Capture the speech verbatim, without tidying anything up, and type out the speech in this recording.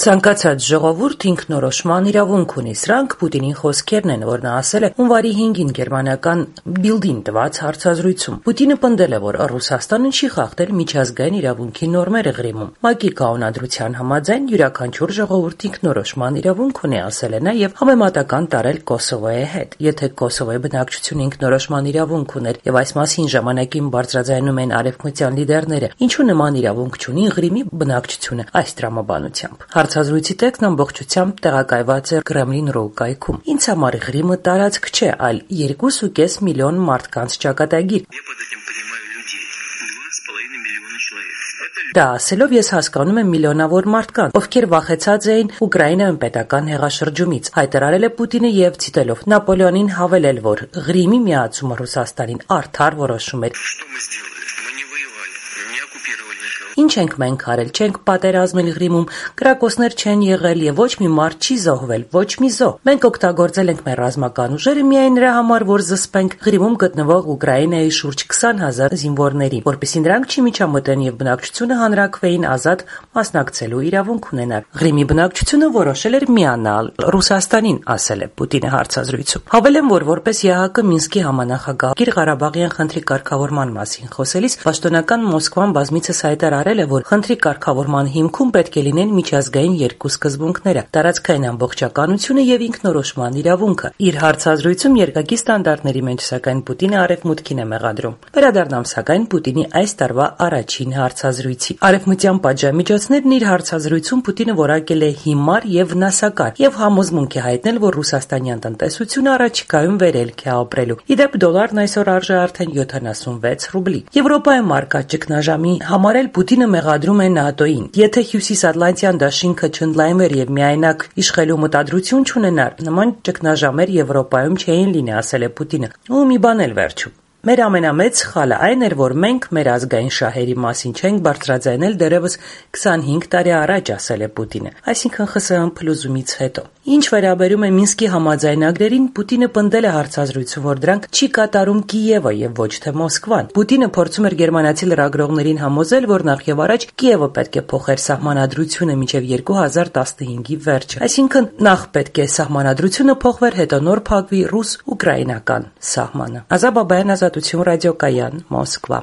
Ցանկացած ժողովուրդ ինքնորոշման իրավունք ունի, սրանք Պուտինի խոսքերն են, որ նա ասել է հունվարի հինգին գերմանական Բիլդին տված հարցազրույցում։ Պուտինը պնդել է, որ Ռուսաստանը չի խախտել միջազգային իրավունքի նորմերը Ղրիմում։ ՄԱԿ-ի կանոնադրության համաձայն յուրաքանչյուր ժողովուրդ ինքնորոշման իրավունք ունի, ասել է նա եւ համեմատական տարել Կոսովոյի հետ։ Եթե Կոսովոյի բնակչությունը ինքնորոշման իրավունք ուներ եւ այս մասին ժամանակին բարձրաձայնում են արևմտյան լիդերները, ինչու նման իրավունք չունի Ղրիմի բնակչությունը այս տրամաբանությամբ։ Հարցազրույցի տեքստն ամբողջությամբ տեղակայված է Kremlin.ru կայքում։ Ինձ համար Ղրիմը տարածք չէ, այլ երկու կես միլիոն մարդկանց ճակատագիր։ Դա ասելով ես հասկանում եմ միլիոնավոր մարդկանց, ովքեր վախեցած էին Ուկրաինայում պետական հեղաշրջումից, հայտարարել է Պուտինը եւ ցիտելով Նապոլեոնին հավելել, որ Ղրիմի միացումը Ռուսաստանին արդար որոշում էր։ Ինչ ենք մենք արել, չենք պատերազմել Ղրիմում, կրակոցներ չեն եղել եւ ոչ մի մարդ չի զոհվել, ոչ մի զոհ։ Մենք օգտագործել ենք մեր ռազմական ուժերը միայն նրա համար, որ զսպենք Ղրիմում գտնվող Ուկրաինայի շուրջ քսան հազար զինվորների, որպեսզի նրանք չմիջամտեն եւ բնակչությունը հանրաքվեին ազատ մասնակցելու իրավունք ունենար։ Ղրիմի բնակչությունը որոշել էր միանալ Ռուսաստանին, ասել է Պուտինը հարցազրույցում։ Հավելեմ, որ որպես ԵԱՀԿ Մինսկի համանախագահ Ղարաբաղյան խնդրի կարգավորման մասին խոսելիս պաշտոնական Մոսկվան բազմիցս հայտարարել է, որ խնդրի կարգավորման հիմքում պետք է լինեն միջազգային երկու սկզբունքները՝ տարածքային ամբողջականությունը եւ ինքնորոշման իրավունքը։ Իր հարցազրույցում երկակի ստանդարտների մեջ, սակայն Պուտինը արևմուտքին է մեղադրում։ Վերադառնամ սակայն Պուտինի այս տարվա առաջին հարցազրույցի։ Արևմտյան պատժամիջոցներն իր հարցազրույցում Պուտինը որակել է հիմար եւ վնասակար եւ համոզմունք է հայտնել, որ ռուսաստանյան տնտեսությունը առաջիկայում վերելք է ապրելու։ Իդեպ դոլարն այսօր արժե արդեն յոթանասունվեց ռուբլի։ Եվրոպայում արկա ճգնաժամի համար էլ Պուտինը մեղադրում է ՆԱՏՕ-ին։ Եթե Հյուսիսատլանտյան դաշինքը չընդլայնվեր եւ միայնակ իշխելու մտադրություն չունենար, նման ճգնաժամեր Եվրոպայում չէին լինի, ասել է Պուտինը։ Ու մի բան էլ վերջում։ Մեր ամենամեծ սխալը այն էր, որ մենք մեր ազգային շահերի մասին չենք բարձրաձայնել դեռևս քսանհինգ տարի առաջ, ասել է Պուտինը, այսինքն ԽՍՀՄ փլուզումից հետո։ Ինչ վերաբերում է Մինսկի համաձայնագրերին, Պուտինը պնդել է հարցազրույցում, որ դրանք չի կատարում Կիևը եւ ոչ թե Մոսկվան։ Պուտինը փորձում էր գերմանացի լրագրողներին համոզել, որ նախ եւ առաջ Կիևը պետք է փոխեր սահմանադրությունը մինչեւ երկու հազար տասնհինգի վերջը։ Այսինքն նախ պետք է սահմանադրությունը փոխվեր, հետո նոր փակվի ռուս-ուկրաինական սահմանը։ Ազատ Բաբայան, Ազատություն ռադիոկայան, Մոսկվա։